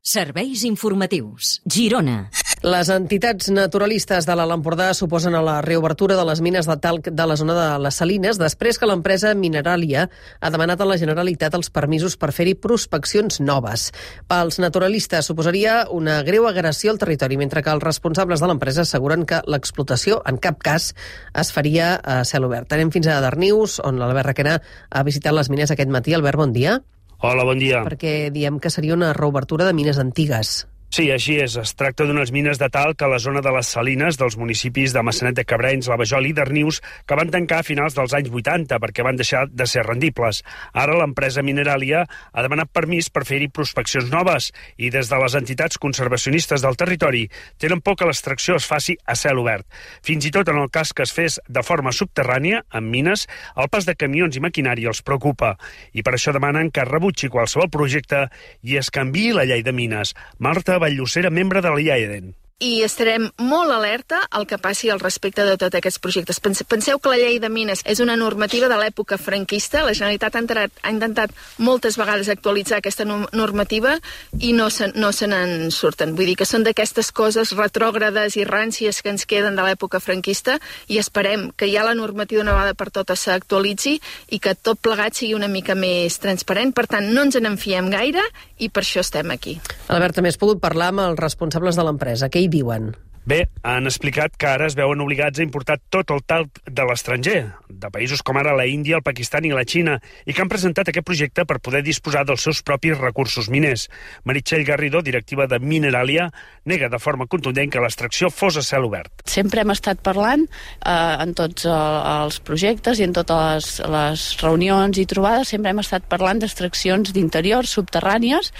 Serveis informatius. Girona. Les entitats naturalistes de l'Alt Empordà suposen a la reobertura de les mines de talc de la zona de les Salines després que l'empresa Mineràlia ha demanat a la Generalitat els permisos per fer-hi prospeccions noves. Pels naturalistes suposaria una greu agressió al territori, mentre que els responsables de l'empresa asseguren que l'explotació en cap cas es faria a cel obert. Anem fins a Darnius, on l'Albert Requena ha visitat les mines aquest matí. Albert, bon dia. Hola, bon dia. Perquè diem que seria una reobertura de mines antigues. Sí, així és. Es tracta d'unes mines de talc a la zona de les Salines dels municipis de Maçanet de Cabrenys, La Vajol i Darnius, que van tancar a finals dels anys 80 perquè van deixar de ser rendibles. Ara l'empresa Mineràlia ha demanat permís per fer-hi prospeccions noves i des de les entitats conservacionistes del territori tenen por que l'extracció es faci a cel obert. Fins i tot en el cas que es fes de forma subterrània, amb mines, el pas de camions i maquinària els preocupa i per això demanen que es rebutgi qualsevol projecte i es canviï la llei de mines. Marta Valllocera, membre de la IAEDEN. I estarem molt alerta al que passi al respecte de tots aquests projectes. Penseu que la llei de mines és una normativa de l'època franquista. La Generalitat ha intentat moltes vegades actualitzar aquesta normativa i no se n'en surten. Vull dir que són d'aquestes coses retrògrades i ràncies que ens queden de l'època franquista i esperem que ja la normativa una vegada per totes s'actualitzi i que tot plegat sigui una mica més transparent. Per tant, no ens en fiem gaire i per això estem aquí. Albert, també has pogut parlar amb els responsables de l'empresa. Què hi diuen? Bé, han explicat que ara es veuen obligats a importar tot el talc de l'estranger, de països com ara la Índia, el Pakistan i la Xina, i que han presentat aquest projecte per poder disposar dels seus propis recursos miners. Meritxell Garrido, directiva de Mineràlia, nega de forma contundent que l'extracció fos a cel obert. Sempre hem estat parlant en tots els projectes i en totes les reunions i trobades, sempre hem estat parlant d'extraccions d'interiors subterrànies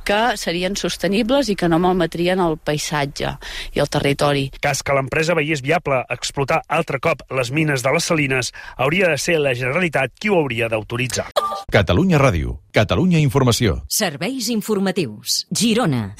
que serien sostenibles i que no malmetrien el paisatge i el territori. Cas que l'empresa veiés viable explotar altre cop les mines de les Salines, hauria de ser la Generalitat qui ho hauria d'autoritzar. Catalunya Ràdio, Catalunya Informació. Serveis informatius. Girona.